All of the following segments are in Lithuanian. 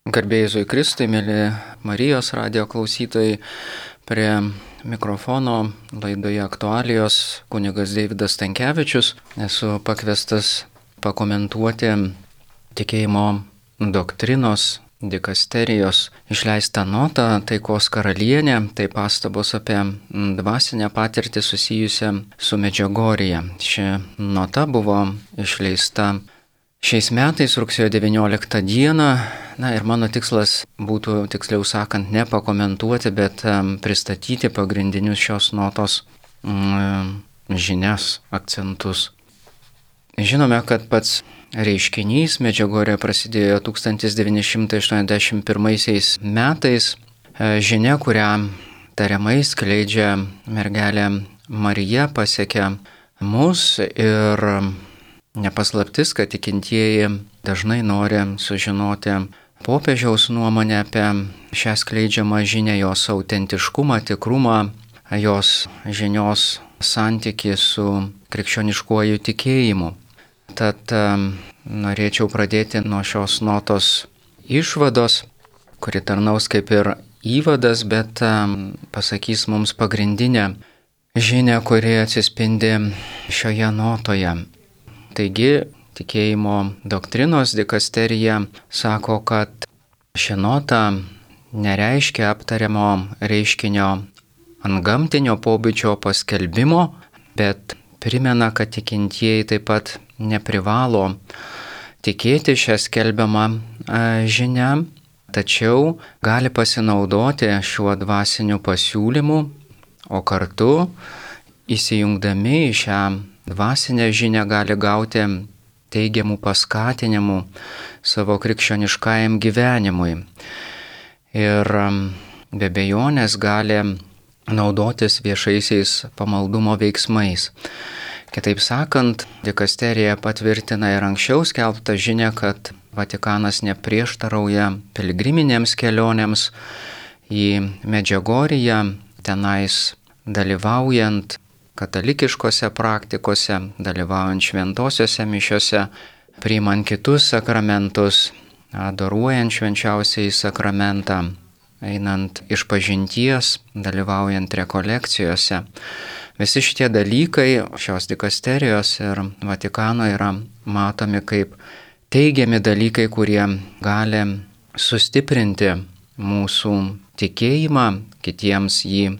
Garbė Jėzui Kristui, mėly Marijos radijo klausytojai, prie mikrofono laidoje aktualijos kunigas Deividas Stankevičius. Esu pakviestas pakomentuoti tikėjimo doktrinos dikasterijos išleistą notą Taikos karalienė, tai pastabos apie dvasinę patirtį susijusią su Medžiugorje. Ši nota buvo išleista šiais metais, rugsėjo 19 dieną. Ir mano tikslas būtų, tiksliau sakant, ne pakomentuoti, bet pristatyti pagrindinius šios notos žinias, akcentus. Žinome, kad pats reiškinys Medžiugorje prasidėjo 1981 metais. Žinia, kurią tariamai skleidžia mergelė Marija, pasiekė mus ir nepaslaptis, kad tikintieji dažnai nori sužinoti popiežiaus nuomonę apie šią skleidžiamą žinią, jos autentiškumą, tikrumą, jos žinios santykį su krikščioniškuoju tikėjimu. Tad norėčiau pradėti nuo šios notos išvados, kuri tarnaus kaip ir įvadas, bet pasakys mums pagrindinę žinią, kuri atsispindi šioje notoje. Taigi, tikėjimo doktrinos dikasterija sako, kad ši nota nereiškia aptariamo reiškinio antgamtinio pobūdžio paskelbimo, bet primena, kad tikintieji taip pat neprivalo tikėti šią skelbiamą žinią, tačiau gali pasinaudoti šiuo dvasiniu pasiūlymu, o kartu įsijungdami į šią dvasinę žinią gali gauti teigiamų paskatinimų savo krikščioniškajam gyvenimui. Ir be abejonės gali naudotis viešaisiais pamaldumo veiksmais. Kitaip sakant, dikasterija patvirtina ir anksčiau skelbtą žinią, kad Vatikanas neprieštarauja piligriminėms kelionėms į Medžiugorję, tenais dalyvaujant katalikiškose praktikose, dalyvaujant šventosiuose mišiuose, priimant kitus sakramentus, adoruojant švenčiausiąjį sakramentą, einant išpažinties, dalyvaujant rekolekcijose. Visi šitie dalykai šios dikasterijos ir Vatikano yra matomi kaip teigiami dalykai, kurie gali sustiprinti mūsų tikėjimą, kitiems jį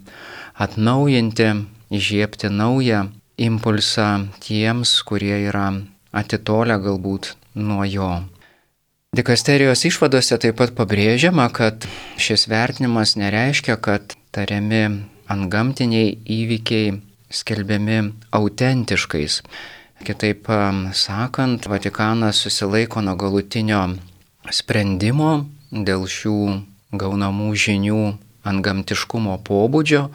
atnaujinti, įžiebti naują impulsą tiems, kurie yra atitolę galbūt nuo jo. Dikasterijos išvadose taip pat pabrėžiama, kad šis vertinimas nereiškia, kad tariami antgamtiniai įvykiai skelbiami autentiškais. Kitaip sakant, Vatikanas susilaiko nuo galutinio sprendimo dėl šių gaunamų žinių antgamtiškumo pobūdžio,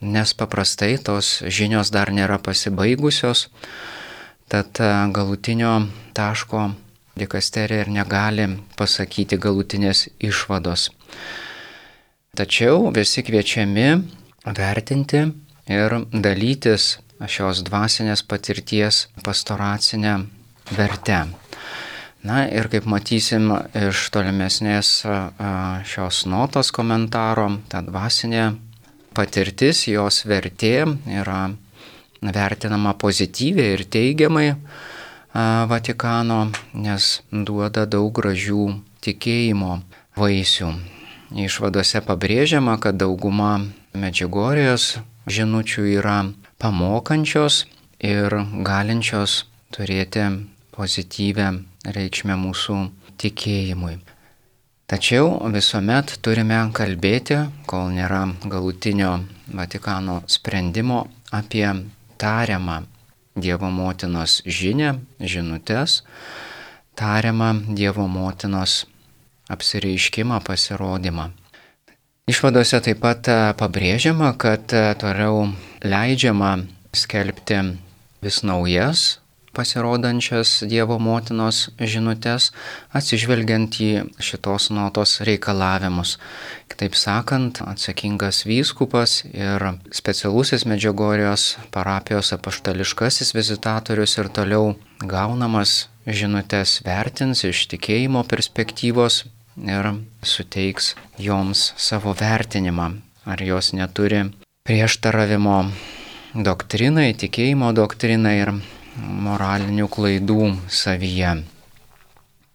nes paprastai tos žinios dar nėra pasibaigusios, tad galutinio taško dikasterija ir negali pasakyti galutinės išvados. Tačiau visi kviečiami vertinti ir dalytis šios dvasinės patirties pastoracinę vertę. Ir kaip matysim iš tolimesnės šios notos komentaro, ta dvasinė patirtis, jos vertė yra vertinama pozityviai ir teigiamai Vatikano, nes duoda daug gražių tikėjimo vaisių. Išvadose pabrėžiama, kad dauguma Medžiugorjės žinučių yra pamokančios ir galinčios turėti pozityvę reikšmę mūsų tikėjimui. Tačiau visuomet turime kalbėti, kol nėra galutinio Vatikano sprendimo, apie tariamą Dievo motinos žinią, žinutes, tariamą Dievo motinos apsireiškimą, pasirodymą. Išvadose taip pat pabrėžiama, kad toliau leidžiama skelbti vis naujas pasirodančias Dievo motinos žinutes, atsižvelgiant į šitos notos reikalavimus. Kitaip sakant, atsakingas vyskupas ir specialusis Medžiugorjės parapijos apaštališkasis vizitatorius ir toliau gaunamas žinutes vertins iš tikėjimo perspektyvos ir suteiks joms savo vertinimą, ar jos neturi prieštaravimo doktrinai, tikėjimo doktrinai ir moralinių klaidų savyje.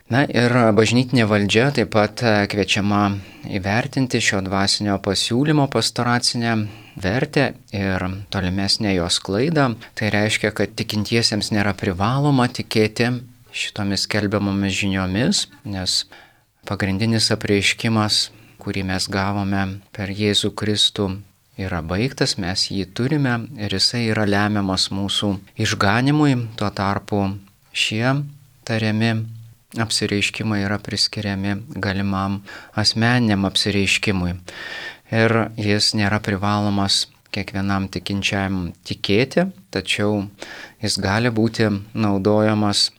Na ir bažnytinė valdžia taip pat kviečiama įvertinti šio dvasinio pasiūlymo pastoracinę vertę ir tolimesnę jos sklaidą. Tai reiškia, kad tikintiesiems nėra privaloma tikėti šitomis skelbiamomis žiniomis, nes pagrindinis apreiškimas, kurį mes gavome per Jėzų Kristų, yra baigtas, mes jį turime ir jisai yra lemiamas mūsų išganimui. Tuo tarpu šie tariami apsireiškimai yra priskiriami galimam asmeniniam apsireiškimui. Ir jis nėra privalomas kiekvienam tikinčiam tikėti, tačiau jis gali būti naudojamas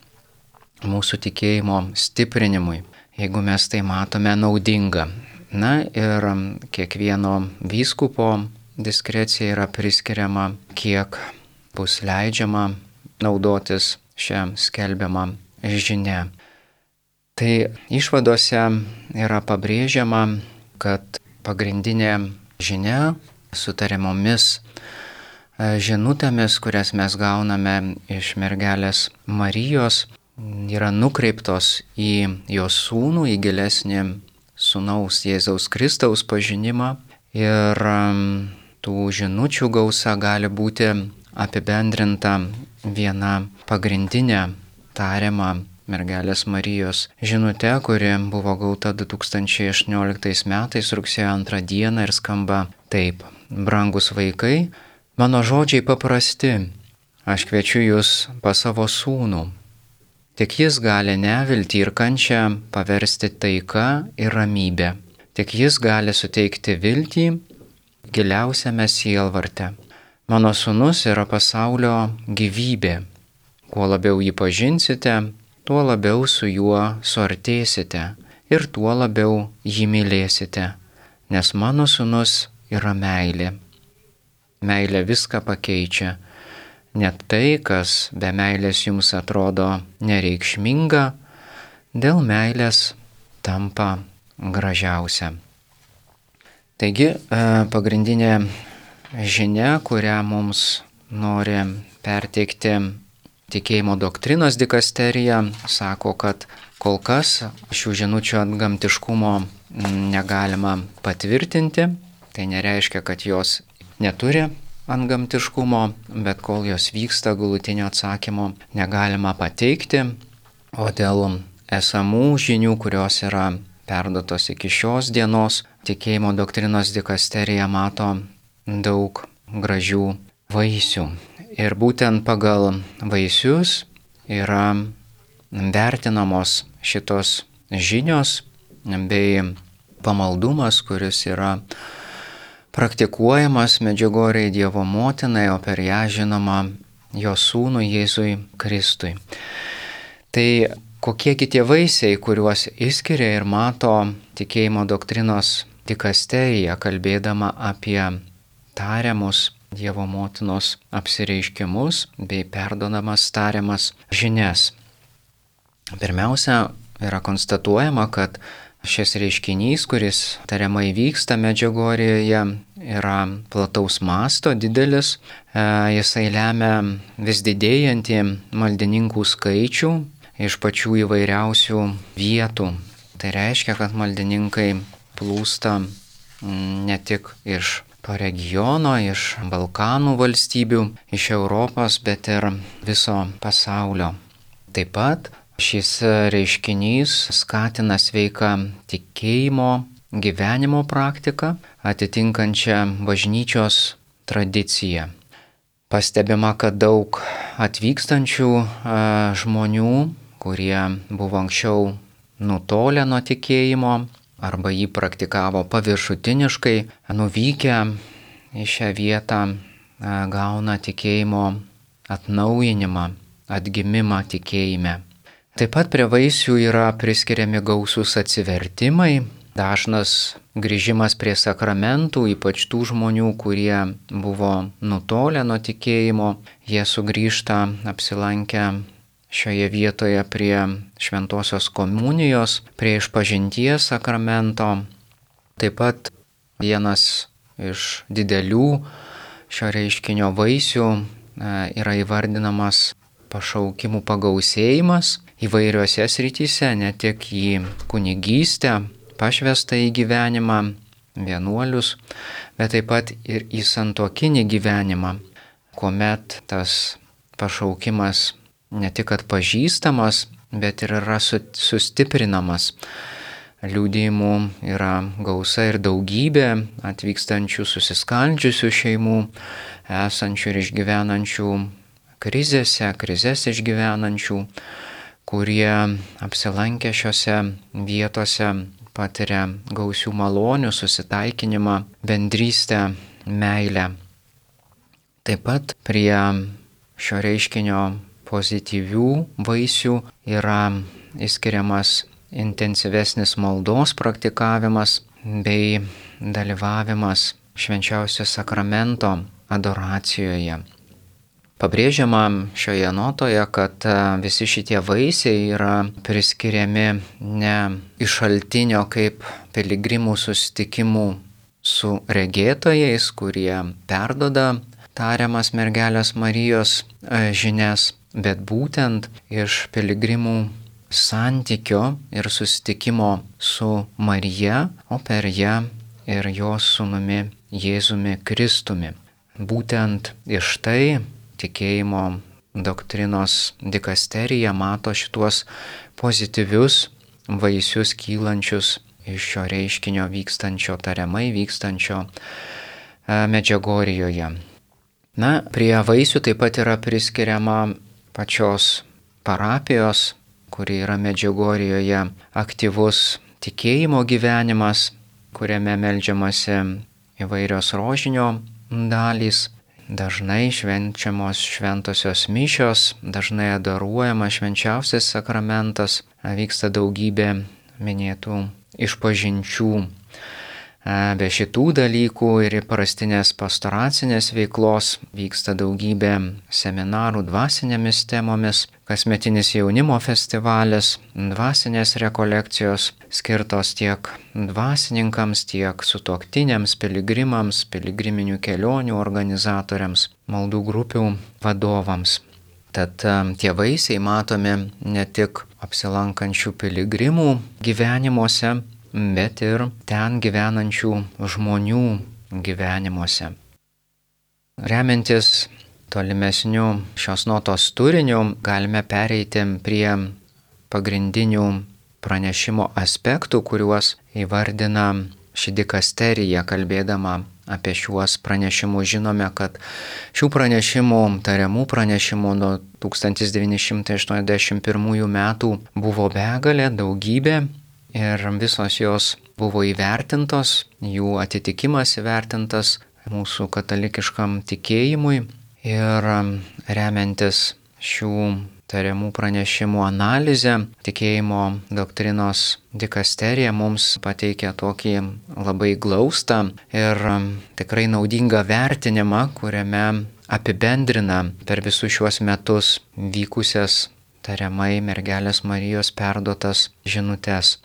mūsų tikėjimo stiprinimui, jeigu mes tai matome naudinga. Na ir kiekvieno vyskupo diskrecija yra priskiriama, kiek bus leidžiama naudotis šią skelbiamą žinią. Tai išvadose yra pabrėžiama, kad pagrindinė žinia su tariamomis žinutėmis, kurias mes gauname iš mergelės Marijos, yra nukreiptos į jos sūnų, į gilesnį sūnaus Jėzaus Kristaus pažinimą. Ir tų žinučių gausa gali būti apibendrinta viena pagrindinė tariama mergelės Marijos žinute, kuri buvo gauta 2018 metais rugsėjo 2 dieną ir skamba taip. Brangus vaikai, mano žodžiai paprasti, aš kviečiu jūs pas savo sūnų. Tik jis gali neviltį ir kančią paversti taika ir ramybę. Tik jis gali suteikti viltį giliausiame sielvarte. Mano sūnus yra pasaulio gyvybė. Kuo labiau jį pažinsite, tuo labiau su juo suartėsite ir tuo labiau jį mylėsite, nes mano sūnus yra meilė. Meilė viską pakeičia. Net tai, kas be meilės jums atrodo nereikšminga, dėl meilės tampa gražiausia. Taigi, pagrindinė žinia, kurią mums nori perteikti tikėjimo doktrinos dikasterija, sako, kad kol kas šių žinučių antgamtiškumo negalima patvirtinti. Tai nereiškia, kad jos neturi antgamtiškumo, bet kol jos vyksta, galutinio atsakymo negalima pateikti. O dėl esamų žinių, kurios yra perduotos iki šios dienos, tikėjimo doktrinos dikasterija mato daug gražių vaisių. Ir būtent pagal vaisius yra vertinamos šitos žinios bei pamaldumas, kuris yra praktikuojamas Medžiugorjėje Dievo motinai, o per ją žinoma jos sūnui Jėzui Kristui. Tai kokiegi tie vaisiai, kuriuos išskiria ir mato tikėjimo doktrinos dikasterija, kalbėdama apie tariamus Dievo motinos apsireiškimus bei perduodamas tariamas žinias. Pirmiausia, yra konstatuojama, kad šis reiškinys, kuris tariamai vyksta Medžiugorjėje, yra plataus masto, didelis. Jisai lemia vis didėjantį maldininkų skaičių iš pačių įvairiausių vietų. Tai reiškia, kad maldininkai plūsta ne tik iš to regiono, iš Balkanų valstybių, iš Europos, bet ir viso pasaulio. Taip pat šis reiškinys skatina sveiką tikėjimo gyvenimo praktiką, atitinkančią bažnyčios tradiciją. Pastebima, kad daug atvykstančių žmonių, kurie buvo anksčiau nutolę nuo tikėjimo, arba jį praktikavo paviršutiniškai, nuvykę į šią vietą gauna tikėjimo atnaujinimą, atgimimą tikėjime. Taip pat prie vaisių yra priskiriami gausūs atsivertimai, dažnas grįžimas prie sakramentų, ypač tų žmonių, kurie buvo nutolę nuo tikėjimo, jie sugrįžta apsilankę šioje vietoje prie šventosios komunijos, prie išpažinties sakramento. Taip pat vienas iš didelių šio reiškinio vaisių yra įvardinamas pašaukimų pagausėjimas įvairiose srityse, ne tik į kunigystę, pašvestą į gyvenimą, vienuolius, bet taip pat ir į santuokinį gyvenimą, kuomet tas pašaukimas ne tik atpažįstamas, bet ir yra sustiprinamas. Liudijimų yra gausa ir daugybė atvykstančių susiskaldžiusių šeimų, esančių ir išgyvenančių krizes išgyvenančių, kurie apsilankę šiose vietose patiria gausių malonių, susitaikinimą, bendrystę, meilę. Taip pat prie šio reiškinio pozityvių vaisių yra išskiriamas intensyvesnis maldos praktikavimas bei dalyvavimas švenčiausio sakramento adoracijoje. Pabrėžiama šioje notoje, kad visi šitie vaisiai yra priskiriami ne iš šaltinio kaip piligrimų susitikimų su regėtojais, kurie perduoda tariamas mergelės Marijos žinias, bet būtent iš piligrimų santykio ir susitikimo su Marija, o per ją ir jos sūnumi Jėzumi Kristumi. Būtent iš tai tikėjimo doktrinos dikasterija mato šituos pozityvius vaisius kylančius iš šio reiškinio tariamai vykstančio Medžiugorjėje. Prie vaisių taip pat yra priskiriama pačios parapijos, kuri yra Medžiugorjėje, aktyvus tikėjimo gyvenimas, kuriame meldžiamasi įvairios rožinio dalys, dažnai švenčiamos šventosios mišios, dažnai adoruojamas švenčiausias sakramentas, vyksta daugybė minėtų išpažinčių. Be šitų dalykų ir įprastinės pastoracinės veiklos vyksta daugybė seminarų dvasinėmis temomis, kasmetinis jaunimo festivalis, dvasinės rekolekcijos skirtos tiek dvasininkams, tiek sutuoktiniams, piligrimams, piligriminių kelionių organizatoriams, maldų grupių vadovams. Tad tie vaisiai matomi ne tik apsilankančių piligrimų gyvenimuose, bet ir ten gyvenančių žmonių gyvenimuose. Remiantis tolimesnių šios notos turiniu, galime pereiti prie pagrindinių pranešimo aspektų, kuriuos įvardina ši dikasterija, kalbėdama apie šiuos pranešimus. Žinome, kad šių pranešimų, tariamų pranešimų nuo 1981 metų buvo begalė, daugybė. Ir visos jos buvo įvertintos, jų atitikimas įvertintas mūsų katalikiškam tikėjimui. Ir remiantis šių tariamų pranešimų analizę, tikėjimo doktrinos dikasterija mums pateikia tokį labai glaustą ir tikrai naudingą vertinimą, kuriame apibendrina per visus šiuos metus vykusias tariamai mergelės Marijos perduotas žinutes.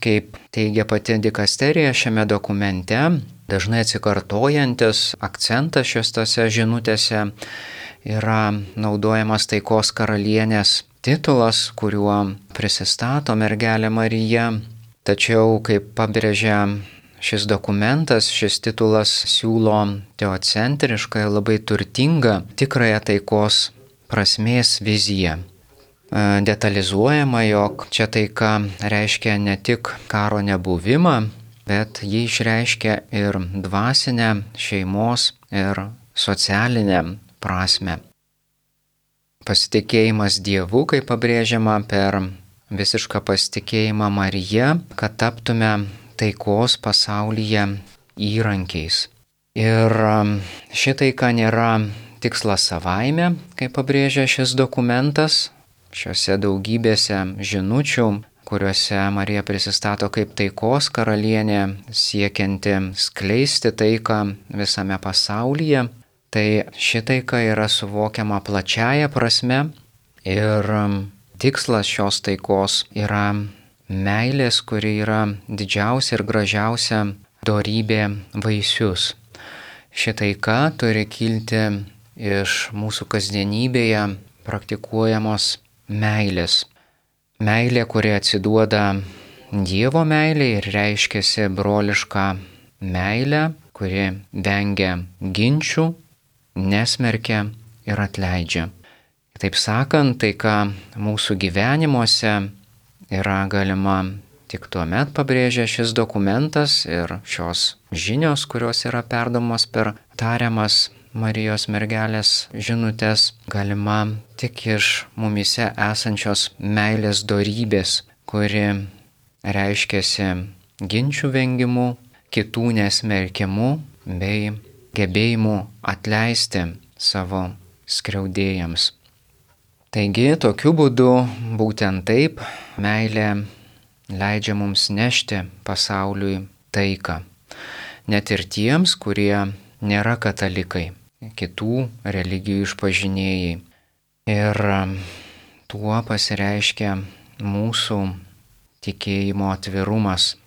Kaip teigia pati dikasterija šiame dokumente, dažnai atsikartojantis akcentas šiose žinutėse yra naudojamas taikos karalienės titulas, kuriuo prisistato mergelė Marija. Tačiau, kaip pabrėžia šis dokumentas, šis titulas siūlo teocentrišką ir labai turtingą tikrąją taikos prasmės viziją. Detalizuojama, jog čia taika reiškia ne tik karo nebuvimą, bet ji išreiškia ir dvasinę, šeimos ir socialinę prasme. Pasitikėjimas Dievu, kaip pabrėžiama, per visišką pasitikėjimą Marija, kad taptume taikos pasaulyje įrankiais. Ir ši taika nėra tikslas savaime, kaip pabrėžia šis dokumentas. Šiuose daugybėse žinučių, kuriuose Marija prisistato kaip taikos karalienė, siekianti skleisti taiką visame pasaulyje, tai ši taika yra suvokiama plačiaja prasme Ir tikslas šios taikos yra meilės, kuri yra didžiausia ir gražiausia dorybė vaisius. Ši taika turi kilti iš mūsų kasdienybėje praktikuojamos meilės. Meilė, kuri atsiduoda Dievo meilė ir reiškiasi brolišką meilę, kuri vengia ginčių, nesmerkia ir atleidžia. Taip sakant, taika mūsų gyvenimuose yra galima tik tuomet, pabrėžia šis dokumentas ir šios žinios, kurios yra perdomos per tariamas Marijos mergelės žinutės, galima tik iš mumyse esančios meilės dorybės, kuri reiškiasi ginčių vengimu, kitų nesmerkimu bei gebėjimu atleisti savo skriaudėjams. Taigi, tokiu būdu, būtent taip, meilė leidžia mums nešti pasauliui taiką. Net ir tiems, kurie nėra katalikai, kitų religijų išpažinėjai. Ir tuo pasireiškia mūsų tikėjimo atvirumas.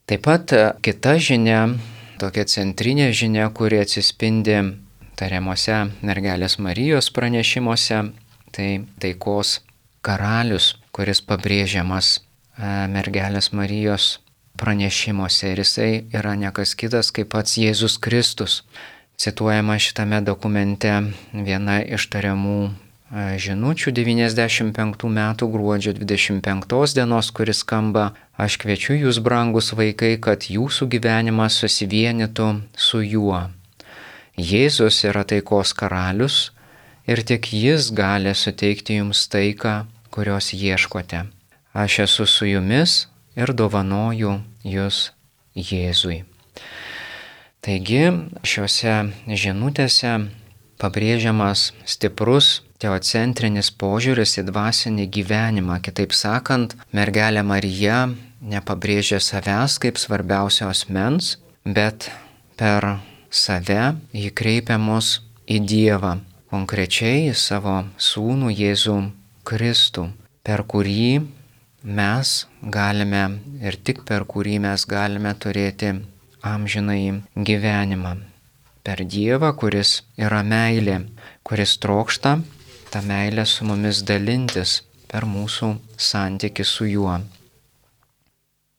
Taip pat kita žinia, tokia centrinė žinia, kuri atsispindi tariamuose mergelės Marijos pranešimuose, tai taikos karalius, kuris pabrėžiamas mergelės Marijos pranešimuose, ir jisai yra ne kas kitas kaip pats Jėzus Kristus. Cituojama šitame dokumente viena iš tariamų žinučių 95 metų gruodžio 25 dienos, kuris skamba: Aš kviečiu jūs, brangus vaikai, kad jūsų gyvenimas susivienytų su juo. Jėzus yra taikos karalius ir tik jis gali suteikti jums taiką, kurios ieškote. Aš esu su jumis ir dovanoju jūs Jėzui. Taigi šiuose žinutėse pabrėžiamas stiprus teocentrinis požiūris į dvasinį gyvenimą. Kitaip sakant, mergelė Marija nepabrėžia savęs kaip svarbiausio asmens, bet per save ji kreipia mus į Dievą, konkrečiai į savo sūnų Jėzų Kristų, per kurį mes galime ir tik per kurį mes galime turėti amžinąjį gyvenimą. Per Dievą, kuris yra meilė, kuris trokšta tą meilę su mumis dalintis per mūsų santykį su juo.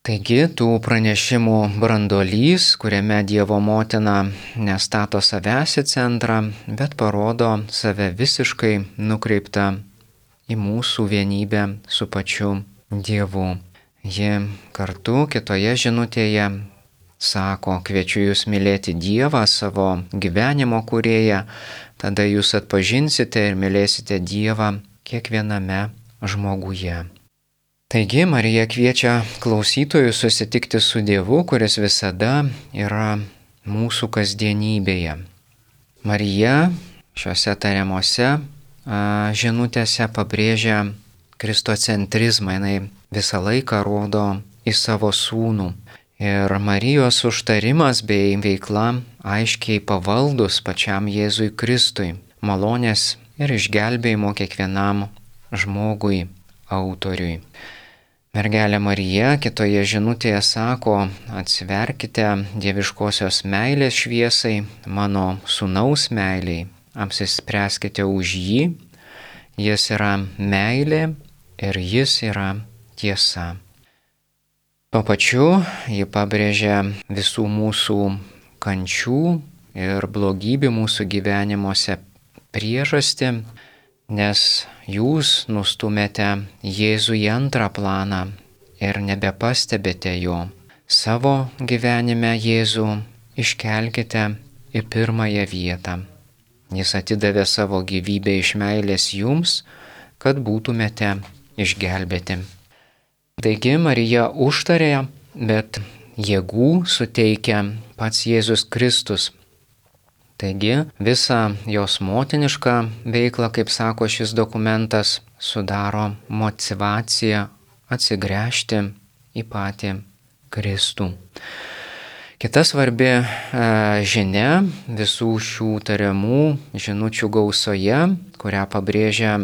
Taigi, tų pranešimų branduolys, kuriame Dievo motina nestato savęs į centrą, bet parodo save visiškai nukreiptą į mūsų vienybę su pačiu Dievu. Ji kartu kitoje žinutėje sako: kviečiu jūs mylėti Dievą, savo gyvenimo kūrėją, tada jūs atpažinsite ir mylėsite Dievą kiekviename žmoguje. Taigi Marija kviečia klausytojus susitikti su Dievu, kuris visada yra mūsų kasdienybėje. Marija šiuose tariamuose žinutėse pabrėžia kristocentrizmą, jinai visą laiką rodo į savo sūnų. Ir Marijos užtarimas bei veikla aiškiai pavaldus pačiam Jėzui Kristui, malonės ir išgelbėjimo kiekvienam žmogui autoriui. Mergelė Marija kitoje žinutėje sako: atsiverkite dieviškosios meilės šviesai, mano sūnaus meiliai, apsispręskite už jį, jis yra meilė ir jis yra tiesa. Tuo pačiu ji pabrėžia visų mūsų kančių ir blogybių mūsų gyvenimuose priežastį, nes jūs nustumėte Jėzų į antrą planą ir nebepastebite jo. Savo gyvenime Jėzų iškelkite į pirmąją vietą. Jis atidavė savo gyvybę iš meilės jums, kad būtumėte išgelbėti. Taigi Marija užtarė, bet jėgų suteikia pats Jėzus Kristus. Taigi visą jos motinišką veiklą, kaip sako šis dokumentas, sudaro motyvacija atsigręžti į patį Kristų. Kita svarbi žinia visų šių tariamų žinučių gausoje, kurią pabrėžia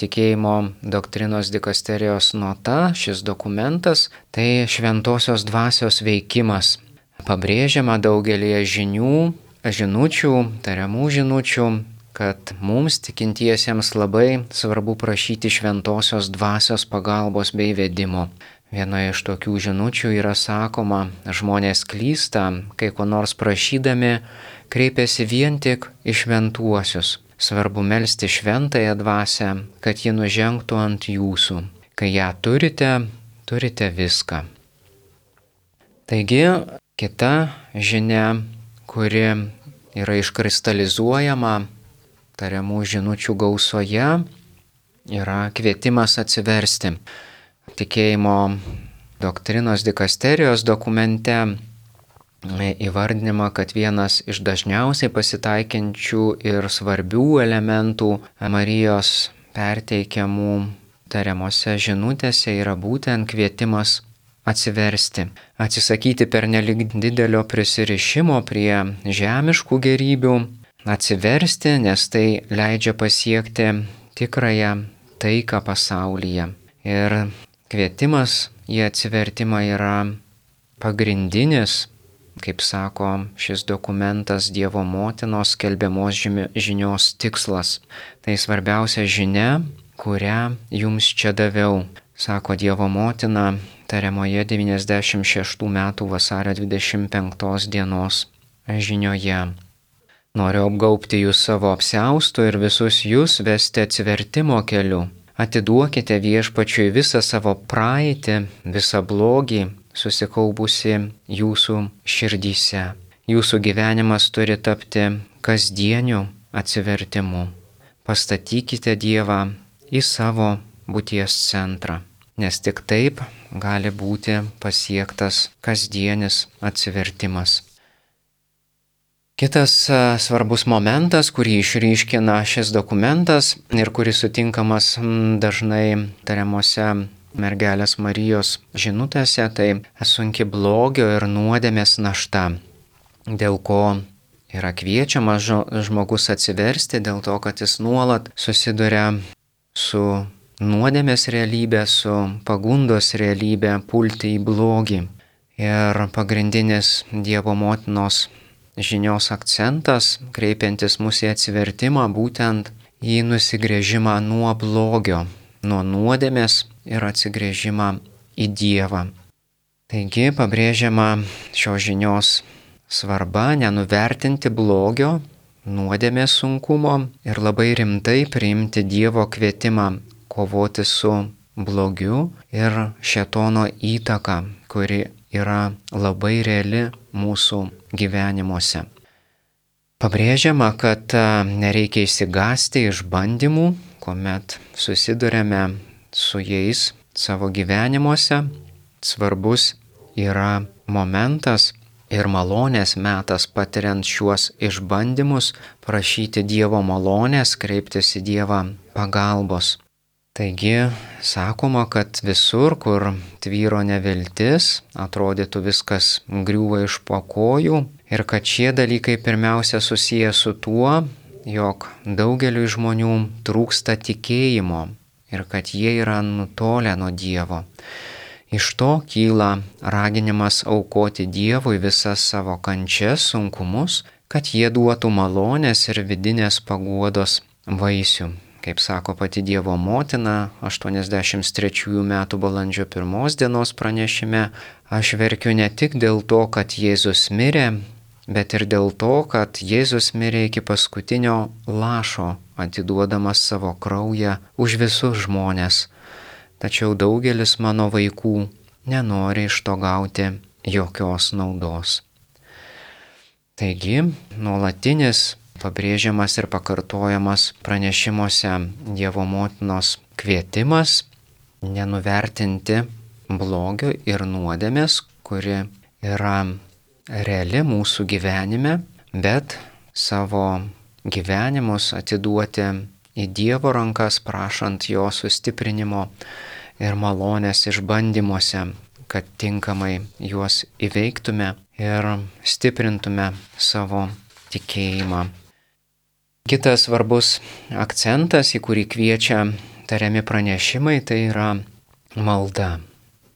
tikėjimo doktrinos dikasterijos nota, šis dokumentas, tai šventosios dvasios veikimas. Pabrėžiama daugelį žinučių, tariamų žinučių, kad mums tikintiesiems labai svarbu prašyti šventosios dvasios pagalbos bei vedimo. Vienoje iš tokių žinučių yra sakoma, žmonės klysta, kai ko nors prašydami kreipiasi vien tik į šventuosius. Svarbu melsti šventąją dvasią, kad ji nužengtų ant jūsų. Kai ją turite viską. Taigi, kita žinia, kuri yra iškristalizuojama tariamų žinučių gausoje, yra kvietimas atsiversti. Tikėjimo doktrinos dikasterijos dokumente įvardinama, kad vienas iš dažniausiai pasitaikančių ir svarbių elementų Marijos perteikiamų tariamose žinutėse yra būtent kvietimas atsiversti, atsisakyti pernelyg didelio prisirišimo prie žemiškų gerybių, atsiversti, nes tai leidžia pasiekti tikrąją taiką pasaulyje. Ir kvietimas į atsivertimą yra pagrindinis, kaip sako šis dokumentas, Dievo motinos skelbiamos žinios tikslas. Tai svarbiausia žinia, kurią jums čia daviau, sako Dievo motina tariamoje 96 metų vasario 25 dienos žinioje. Noriu apgaubti jūs savo apsiaustu ir visus jūs vesti atsivertimo keliu. Atiduokite Viešpačiui visą savo praeitį, visą blogį, susikaupusi jūsų širdyse. Jūsų gyvenimas turi tapti kasdieniu atsivertimu. Pastatykite Dievą į savo būties centrą, nes tik taip gali būti pasiektas kasdienis atsivertimas. Kitas svarbus momentas, kurį išryškina šis dokumentas ir kuris sutinkamas dažnai tariamose mergelės Marijos žinutėse, tai sunki blogio ir nuodėmės našta, dėl ko yra kviečiamas žmogus atsiversti, dėl to, kad jis nuolat susiduria su nuodėmės realybė, su pagundos realybė pulti į blogį. Ir pagrindinis Dievo motinos žinios akcentas, kreipiantis mus į atsivertimą, būtent į nusigręžimą nuo blogio, nuo nuodėmės ir atsigręžimą į Dievą. Taigi pabrėžiama šios žinios svarba nenuvertinti blogio, nuodėmės sunkumo ir labai rimtai priimti Dievo kvietimą kovoti su blogiu ir šėtono įtaka, kuri yra labai reali mūsų gyvenimuose. Pabrėžiama, kad nereikia išsigąsti išbandymų, kuomet susidurėme su jais savo gyvenimuose. Svarbus yra momentas ir malonės metas patiriant šiuos išbandymus, prašyti Dievo malonės, kreiptis į Dievą pagalbos. Taigi, sakoma, kad visur, kur tvyro neviltis, atrodytų viskas griūva iš po kojų ir kad šie dalykai pirmiausia susiję su tuo, jog daugeliui žmonių trūksta tikėjimo ir kad jie yra nutolę nuo Dievo. Iš to kyla raginimas aukoti Dievui visas savo kančias, sunkumus, kad jie duotų malonės ir vidinės paguodos vaisių. Kaip sako pati Dievo motina 83 metų balandžio 1 dienos pranešime, aš verkiu ne tik dėl to, kad Jėzus mirė, bet ir dėl to, kad Jėzus mirė iki paskutinio lašo, atiduodamas savo kraują už visus žmones. Tačiau daugelis mano vaikų nenori iš to gauti jokios naudos. Taigi, nuolatinis pabrėžiamas ir pakartojamas pranešimuose Dievo motinos kvietimas nenuvertinti blogio ir nuodėmės, kuri yra reali mūsų gyvenime, bet savo gyvenimus atiduoti į Dievo rankas, prašant jo sustiprinimo ir malonės išbandymuose, kad tinkamai juos įveiktume ir stiprintume savo tikėjimą. Kitas svarbus akcentas, į kurį kviečia tariami pranešimai, tai yra malda.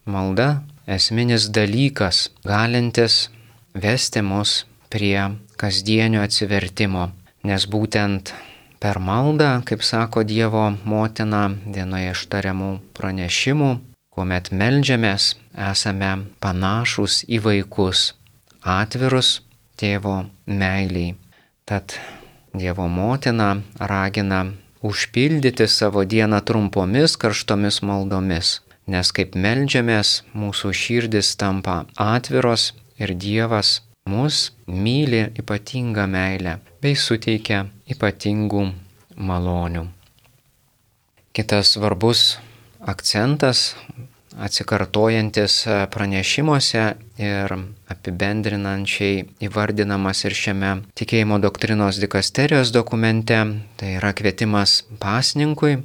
Malda - esminis dalykas, galintis vesti mus prie kasdienio atsivertimo, nes būtent per maldą, kaip sako Dievo motina vienoje iš tariamų pranešimų, kuomet meldžiamės, esame panašūs į vaikus, atvirus tėvo meiliai. Tad Dievo motina ragina užpildyti savo dieną trumpomis karštomis maldomis, nes kaip meldžiamės, mūsų širdis tampa atviros ir Dievas mus myli ypatingą meilę bei suteikia ypatingų malonių. Kitas svarbus akcentas, atsikartojantis pranešimuose ir apibendrinančiai įvardinamas ir šiame tikėjimo doktrinos dikasterijos dokumente, tai yra kvietimas pasninkui,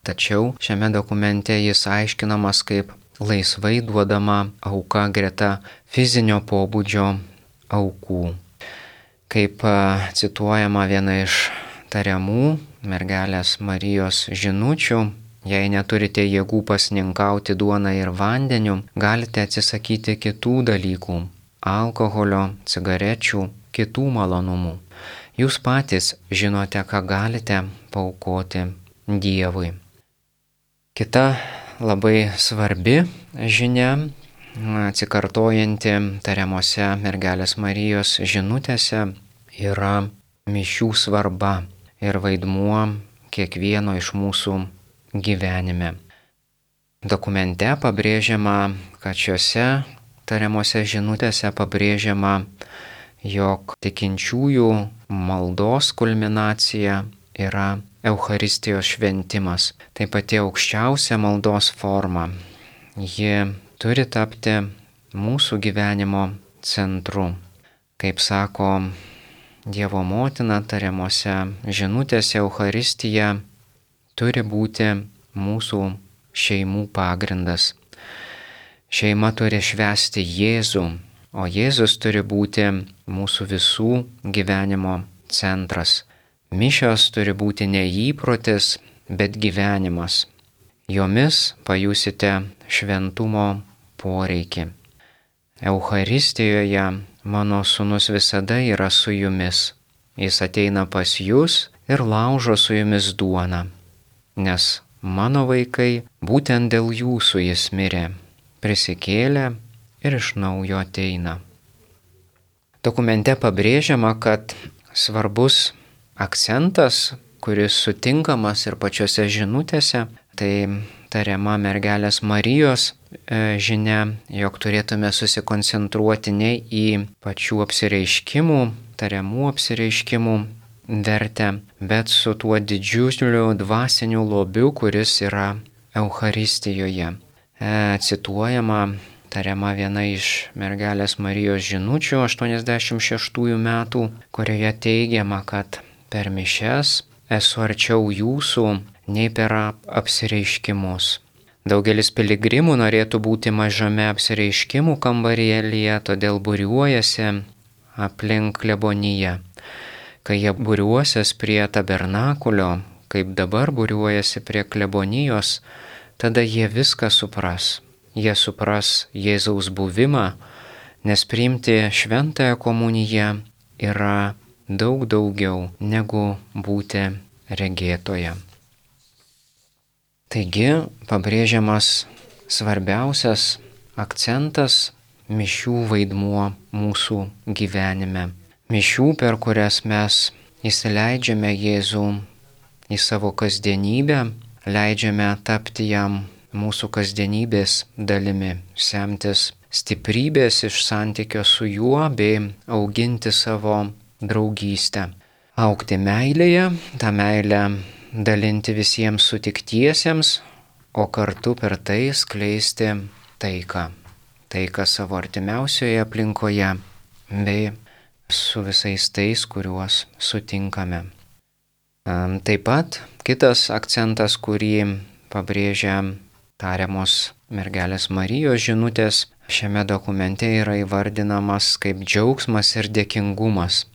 tačiau šiame dokumente jis aiškinamas kaip laisvai duodama auka greta fizinio pobūdžio aukų. Kaip cituojama viena iš tariamų mergelės Marijos žinučių, jei neturite jėgų pasninkauti duoną ir vandeniu, galite atsisakyti kitų dalykų - alkoholio, cigarečių, kitų malonumų. Jūs patys žinote, ką galite paaukoti Dievui. Kita labai svarbi žinia, atsikartojanti tariamose mergelės Marijos žinutėse, yra mišių svarba ir vaidmuo kiekvieno iš mūsų gyvenime. Dokumente pabrėžiama, kad šiuose tariamose žinutėse pabrėžiama, jog tikinčiųjų maldos kulminacija yra Eucharistijos šventimas. Tai pati aukščiausia maldos forma. Ji turi tapti mūsų gyvenimo centru. Kaip sako Dievo motina tariamose žinutėse, Eucharistija turi būti mūsų šeimų pagrindas. Šeima turi švęsti Jėzų, o Jėzus turi būti mūsų visų gyvenimo centras. Mišios turi būti ne įprotis, bet gyvenimas. Jomis pajusite šventumo poreikį. Eucharistijoje mano sūnus visada yra su jumis. Jis ateina pas jūs ir laužo su jumis duoną, nes mano vaikai būtent dėl jūsų jis mirė, prisikėlė ir iš naujo ateina. Dokumente pabrėžiama, kad svarbus akcentas, kuris sutinkamas ir pačiose žinutėse, tai tariama mergelės Marijos žinia, jog turėtume susikoncentruoti ne į pačių apsireiškimų, tariamų apsireiškimų vertę, bet su tuo didžiuliu dvasiniu lobiu, kuris yra Eucharistijoje. Cituojama tariama viena iš mergelės Marijos žinučių 86 metų, kurioje teigiama, kad per mišias esu arčiau jūsų nei per apsireiškimus. Daugelis piligrimų norėtų būti mažame apsireiškimų kambarėlyje, todėl būriuojasi aplink kleboniją. Kai jie būriuosis prie tabernakulio, kaip dabar būriuojasi prie klebonijos, tada jie viską supras. Jie supras Jėzaus buvimą, nes priimti šventąją komuniją yra daug daugiau negu būti regėtoje. Taigi pabrėžiamas svarbiausias akcentas - mišių vaidmuo mūsų gyvenime. Mišių, per kurias mes įsileidžiame Jėzų į savo kasdienybę, leidžiame tapti jam mūsų kasdienybės dalimi, semtis stiprybės iš santykio su juo bei auginti savo draugystę. Augti meilėje, tą meilę dalinti visiems sutiktiesiems, o kartu per tai skleisti taiką. Taiką savo artimiausioje aplinkoje bei su visais tais, kuriuos sutinkame. Taip pat kitas akcentas, kurį pabrėžia tariamos mergelės Marijos žinutės, šiame dokumente yra įvardinamas kaip džiaugsmas ir dėkingumas.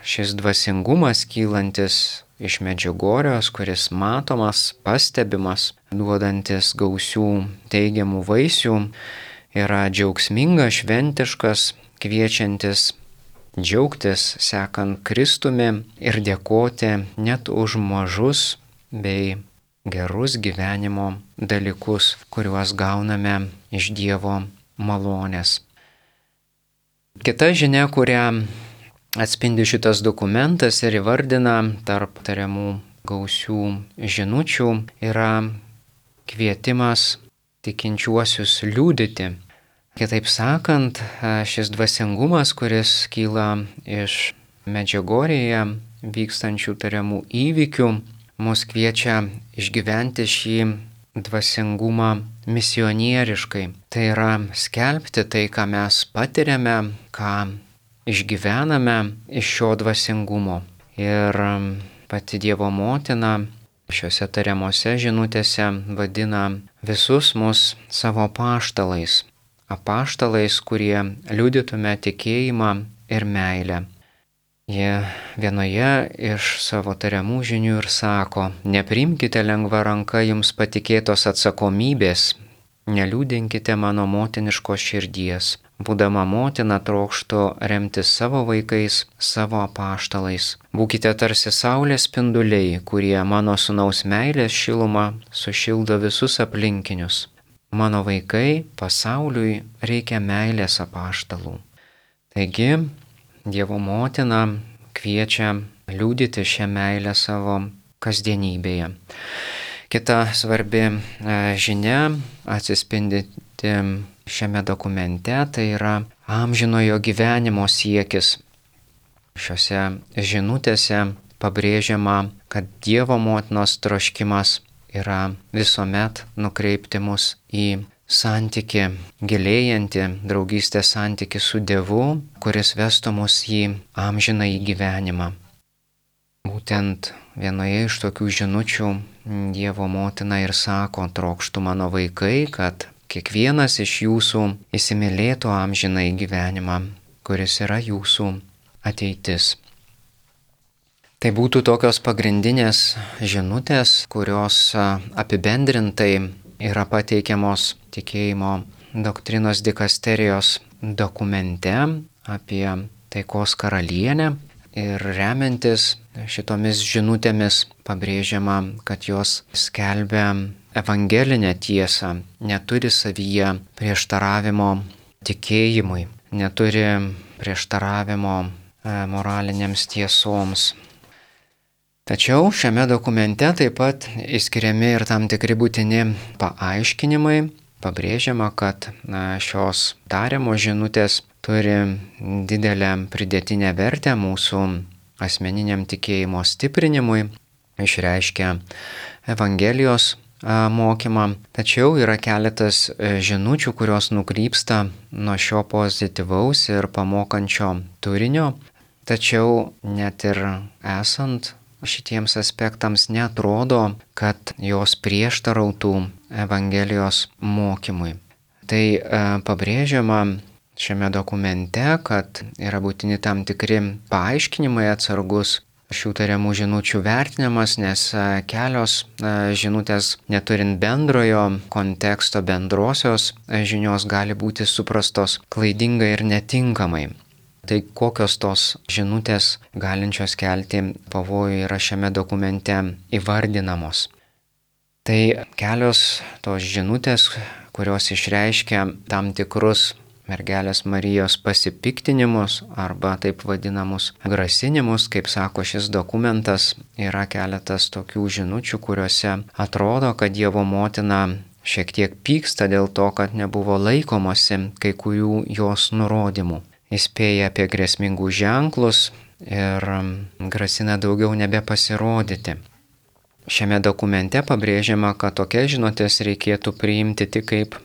šis dvasingumas kylantis iš Medžiugorjos, kuris matomas, pastebimas, duodantis gausių teigiamų vaisių, yra džiaugsmingas, šventiškas, kviečiantis džiaugtis sekant Kristumi ir dėkoti net už mažus bei gerus gyvenimo dalykus, kuriuos gauname iš Dievo malonės. Kita žinia, kurią atspindi šitas dokumentas ir įvardina tarp tariamų gausių žinučių, yra kvietimas tikinčiuosius liudyti. Kitaip sakant, šis dvasingumas, kuris kyla iš Medžiugorjėje vykstančių tariamų įvykių, mus kviečia išgyventi šį dvasingumą misionieriškai. Tai yra skelbti tai, ką mes patiriame, ką išgyvename iš šio dvasingumo. Ir pati Dievo motina šiuose tariamose žinutėse vadina visus mus savo apaštalais. Apaštalais, kurie liudytume tikėjimą ir meilę. Jie vienoje iš savo tariamų žinių ir sako: nepriimkite lengva ranka jums patikėtos atsakomybės, neliūdinkite mano motiniškos širdies. Būdama motina trokštu remtis savo vaikais, savo apaštalais. Būkite tarsi saulės spinduliai, kurie mano sūnaus meilės šilumą sušildo visus aplinkinius. Mano vaikai, pasauliui reikia meilės apaštalų. Taigi, Dievo motina kviečia liudyti šią meilę savo kasdienybėje. Kita svarbi žinia atsispindinti šiame dokumente, tai yra amžinojo gyvenimo siekis. Šiuose žinutėse pabrėžiama, kad Dievo motinos troškimas yra visuomet nukreipti mus į santykį, gilėjantį draugystės santykį su Dievu, kuris vestų mus į amžinąjį gyvenimą. Būtent vienoje iš tokių žinučių Dievo motina ir sako: trokštu mano vaikai, kad kiekvienas iš jūsų įsimylėtų amžinąjį gyvenimą, kuris yra jūsų ateitis. Tai būtų tokios pagrindinės žinutės, kurios apibendrintai yra pateikiamos tikėjimo doktrinos dikasterijos dokumente apie taikos karalienę. Ir remiantis šitomis žinutėmis pabrėžiama, kad jos skelbia evangelinę tiesą, neturi savyje prieštaravimo tikėjimui, neturi prieštaravimo moralinėms tiesoms. Tačiau šiame dokumente taip pat išskiriami ir tam tikri būtini paaiškinimai. Pabrėžiama, kad šios tariamos žinutės turi didelę pridėtinę vertę mūsų asmeniniam tikėjimo stiprinimui, išreiškia Evangelijos mokymą. Tačiau yra keletas žinučių, kurios nukrypsta nuo šio pozityvaus ir pamokančio turinio. Tačiau net ir esant šitiems aspektams neatrodo, kad jos prieštarautų Evangelijos mokymui. Tai pabrėžiama šiame dokumente, kad yra būtini tam tikri paaiškinimai, atsargus šių tariamų žinučių vertinimas, nes kelios žinutės neturint bendrojo konteksto, bendrosios žinios gali būti suprastos klaidingai ir netinkamai. Tai kokios tos žinutės galinčios kelti pavojų yra šiame dokumente įvardinamos. Tai kelios tos žinutės, kurios išreiškia tam tikrus mergelės Marijos pasipiktinimus arba taip vadinamus grasinimus, kaip sako šis dokumentas, yra keletas tokių žinučių, kuriuose atrodo, kad Dievo motina šiek tiek pyksta dėl to, kad nebuvo laikomasi kai kurių jos nurodymų. Įspėja apie grėsmingus ženklus ir grasina daugiau nebepasirodyti. Šiame dokumente pabrėžiama, kad tokias žinutės reikėtų priimti tik kaip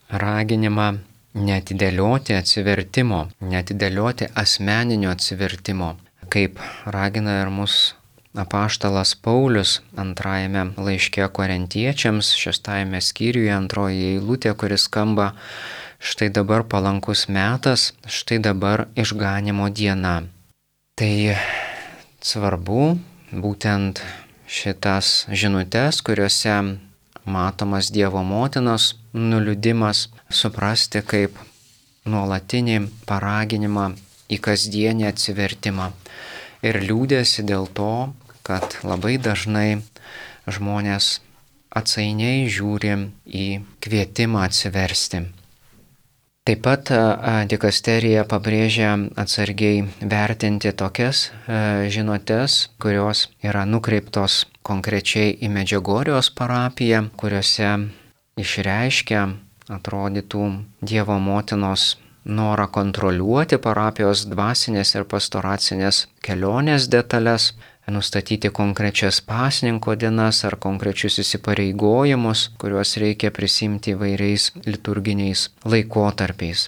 raginimą neatidėlioti atsivertimo, neatidėlioti asmeninio atsivertimo, kaip ragina ir mus apaštalas Paulius antrajame laiške Korintiečiams, 6 skyriuje, 2 eilutė, kuris skamba: štai dabar palankus metas, štai dabar išganymo diena. Tai svarbu būtent šitas žinutes, kuriuose matomas Dievo motinos nuliūdimas, suprasti kaip nuolatinį paraginimą į kasdienį atsivertimą ir liūdėsi dėl to, kad labai dažnai žmonės atsainiai žiūri į kvietimą atsiversti. Taip pat dikasterija pabrėžia atsargiai vertinti tokias žinutes, kurios yra nukreiptos konkrečiai į Medžiugorjės parapiją, kuriuose išreiškia, atrodytų, Dievo motinos norą kontroliuoti parapijos dvasinės ir pastoracinės kelionės detalės, nustatyti konkrečias pasninko dienas ar konkrečius įsipareigojimus, kuriuos reikia prisimti įvairiais liturginiais laikotarpiais.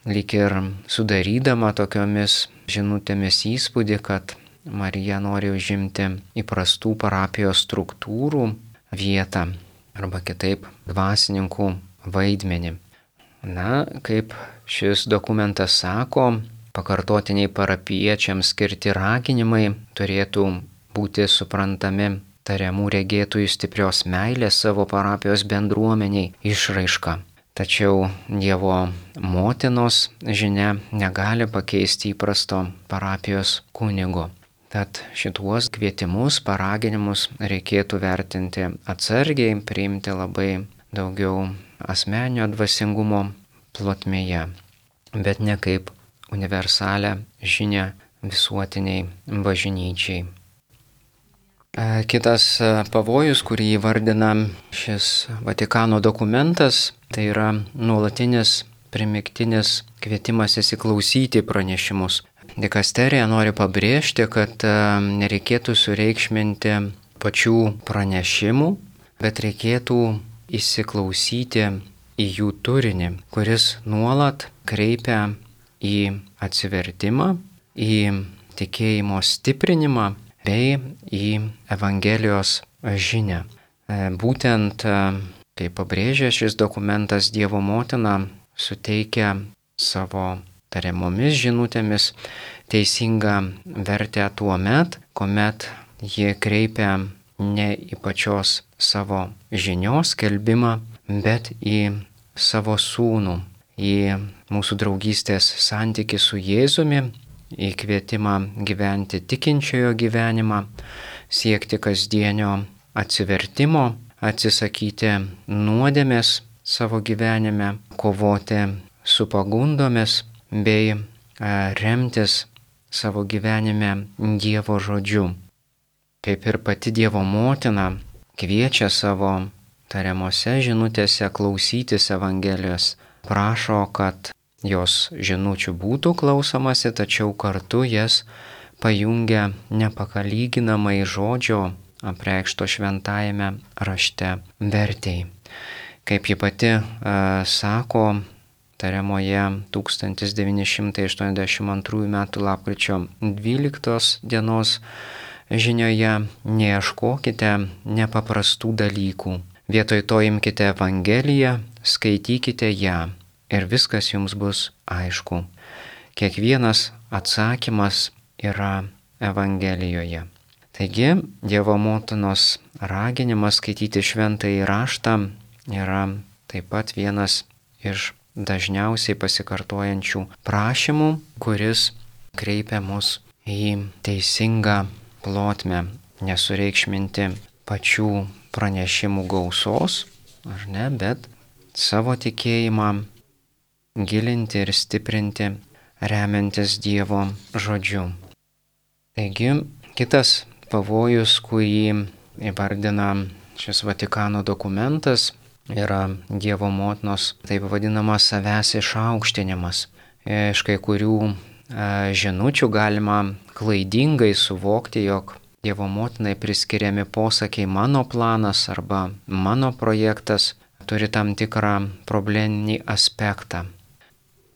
Lyg ir sudarydama tokiomis žinutėmis įspūdį, kad Marija nori užimti įprastų parapijos struktūrų vietą arba kitaip dvasininkų vaidmenį. Na, kaip šis dokumentas sako, pakartotiniai parapiečiams skirti raginimai turėtų būti suprantami tariamų regėtojų stiprios meilės savo parapijos bendruomeniai išraiška. Tačiau Dievo motinos žinia negali pakeisti įprasto parapijos kunigo. Tad šituos kvietimus, paraginimus reikėtų vertinti atsargiai, priimti labai daugiau asmeninio dvasingumo plotmėje, bet ne kaip universalią žinią visuotiniai bažnyčiai. Kitas pavojus, kurį įvardina šis Vatikano dokumentas, tai yra nuolatinis primygtinis kvietimas įsiklausyti pranešimus. Dikasterija nori pabrėžti, kad nereikėtų sureikšminti pačių pranešimų, bet reikėtų įsiklausyti į jų turinį, kuris nuolat kreipia į atsivertimą, į tikėjimo stiprinimą bei į Evangelijos žinią. Būtent, kaip pabrėžia šis dokumentas, Dievo motina suteikia savo tariamomis žinutėmis teisingą vertę tuo met, kuomet ji kreipia ne į pačios savo žinios skelbimą, bet į savo sūnų, į mūsų draugystės santykį su Jėzumi, į kvietimą gyventi tikinčiojo gyvenimą, siekti kasdienio atsivertimo, atsisakyti nuodėmės savo gyvenime, kovoti su pagundomis bei remtis savo gyvenime Dievo žodžiu. Kaip ir pati Dievo motina kviečia savo tariamose žinutėse klausytis Evangelijos, prašo, kad jos žinučių būtų klausomasi, tačiau kartu jas pajungia nepakalyginamai žodžio apreikšto šventajame rašte vertei. Kaip ji pati sako tariamoje 1982 m. lapkričio 12 dienos žinioje, neieškokite nepaprastų dalykų. Vietoj to imkite Evangeliją, skaitykite ją ir viskas jums bus aišku. Kiekvienas atsakymas yra Evangelijoje. Taigi, Dievo motinos raginimas skaityti šventąjį raštą yra taip pat vienas iš dažniausiai pasikartojančių prašymų, kuris kreipia mus į teisingą plotmę, nesureikšminti pačių pranešimų gausos, ar ne, bet savo tikėjimą gilinti ir stiprinti, remiantis Dievo žodžiu. Taigi, kitas pavojus, kurį įvardina šis Vatikano dokumentas, yra Dievo motinos taip vadinamas savęs išaukštinimas. Iš kai kurių žinučių galima klaidingai suvokti, jog Dievo motinai priskiriami posakiai mano planas arba mano projektas turi tam tikrą probleminį aspektą.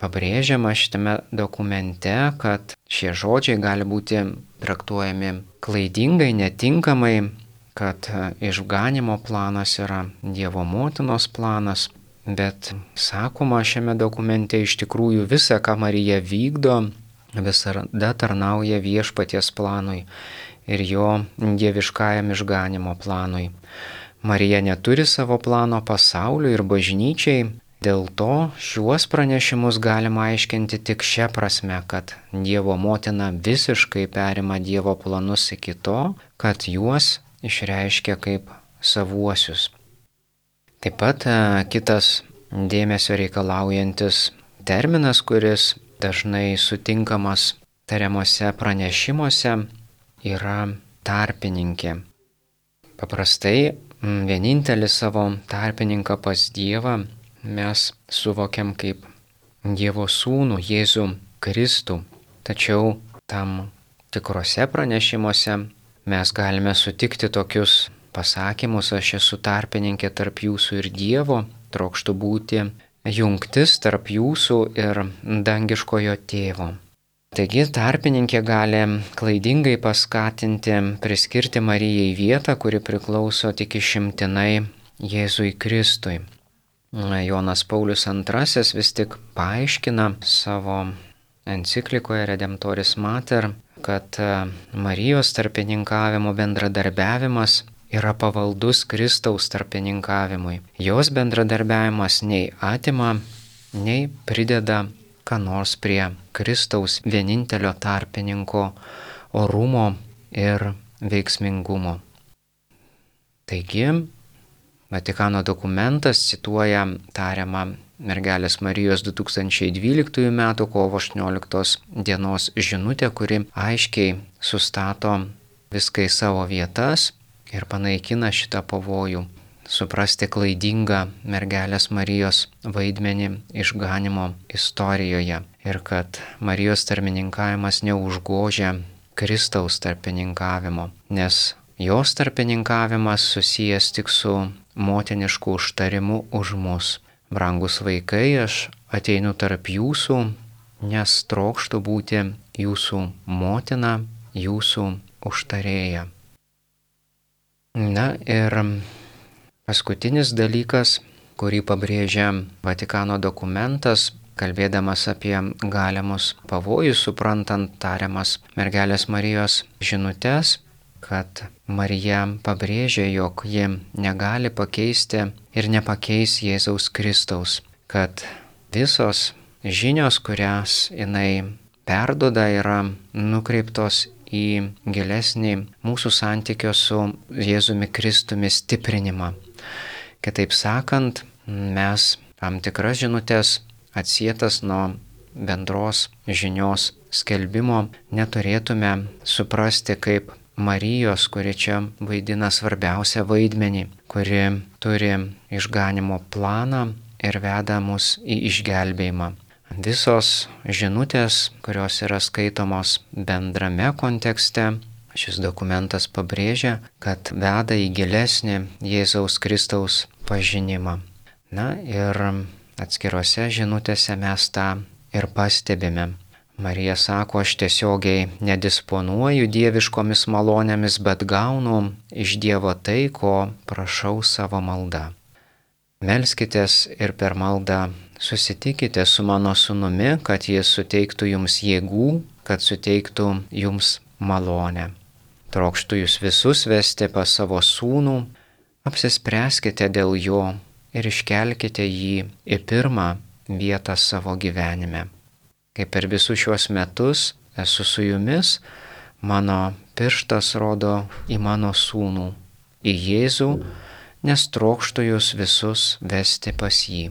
Pabrėžiama šitame dokumente, kad šie žodžiai gali būti traktuojami klaidingai, netinkamai, kad išganimo planas yra Dievo motinos planas, bet sakoma šiame dokumente iš tikrųjų visa, ką Marija vykdo, visada tarnauja viešpaties planui ir jo dieviškajam išganimo planui. Marija neturi savo plano pasauliui ir bažnyčiai, dėl to šiuos pranešimus galima aiškinti tik šia prasme, kad Dievo motina visiškai perima Dievo planus iki to, kad juos išreiškia kaip savuosius. Taip pat kitas dėmesio reikalaujantis terminas, kuris dažnai sutinkamas tariamuose pranešimuose, yra tarpininkė. Paprastai vienintelį savo tarpininką pas Dievą mes suvokiam kaip Dievo sūnų Jėzų Kristų. Tačiau tam tikrose pranešimuose mes galime sutikti tokius pasakymus: aš esu tarpininkė tarp jūsų ir Dievo, trokštu būti jungtis tarp jūsų ir dangiškojo tėvo. Taigi tarpininkė gali klaidingai paskatinti priskirti Marijai vietą, kuri priklauso tik išimtinai Jėzui Kristui. Jonas Paulius II vis tik paaiškina savo enciklikoje Redemptoris Mater, kad Marijos tarpininkavimo bendradarbiavimas yra pavaldus Kristaus tarpininkavimui. Jos bendradarbiavimas nei atima, nei prideda ką nors prie Kristaus vienintelio tarpininko orumo ir veiksmingumo. Taigi, Vatikano dokumentas cituoja tariamą mergelės Marijos 2012 m. kovo 18 dienos žinutę, kuri aiškiai sustato viską į savo vietas ir panaikina šitą pavojų suprasti klaidingą mergelės Marijos vaidmenį išganimo istorijoje ir kad Marijos tarpininkavimas neužgožia Kristaus tarpininkavimo, nes jos tarpininkavimas susijęs tik su motinišku užtarimu už mus. Brangus vaikai, aš ateinu tarp jūsų, nes trokštu būti jūsų motina, jūsų užtarėja. Na ir paskutinis dalykas, kurį pabrėžia Vatikano dokumentas, kalbėdamas apie galimus pavojus, suprantant tariamas mergelės Marijos žinutes, kad Marija pabrėžia, jog ji negali pakeisti ir nepakeis Jėzaus Kristaus, kad visos žinios, kurias jinai perduoda, yra nukreiptos į gilesnį mūsų santykio su Jėzumi Kristumi stiprinimą. Kitaip sakant, mes tam tikras žinutes atsietas nuo bendros žinios skelbimo neturėtume suprasti kaip Marijos, kuri čia vaidina svarbiausią vaidmenį, kuri turi išganimo planą ir veda mus į išgelbėjimą. Visos žinutės, kurios yra skaitomos bendrame kontekste, šis dokumentas pabrėžia, kad veda į gilesnį Jėzaus Kristaus pažinimą. Na ir atskirose žinutėse mes tą ir pastebime. Marija sako, aš tiesiogiai nedisponuoju dieviškomis malonėmis, bet gaunu iš Dievo tai, ko prašau savo malda. Melskitės ir per maldą susitikite su mano sūnumi, kad jis suteiktų jums jėgų, kad suteiktų jums malonę. Trokštu jūs visus vesti pas savo sūnų, apsispręskite dėl jo ir iškelkite jį į pirmą vietą savo gyvenime. Kaip per visus šiuos metus esu su jumis, mano pirštas rodo į mano sūnų, į Jėzų, nes trokštu jūs visus vesti pas jį.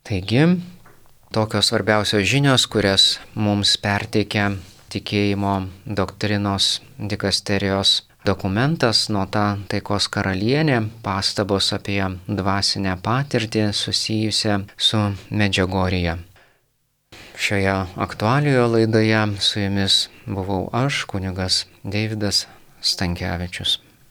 Taigi, tokios svarbiausios žinios, kurias mums perteikia tikėjimo doktrinos dikasterijos dokumentas Nota taikos karalienė, pastabos apie dvasinę patirtį susijusią su Medžiugorje. Šioje aktualijoje laidoje su jumis buvau aš, kunigas Deividas Stankevičius.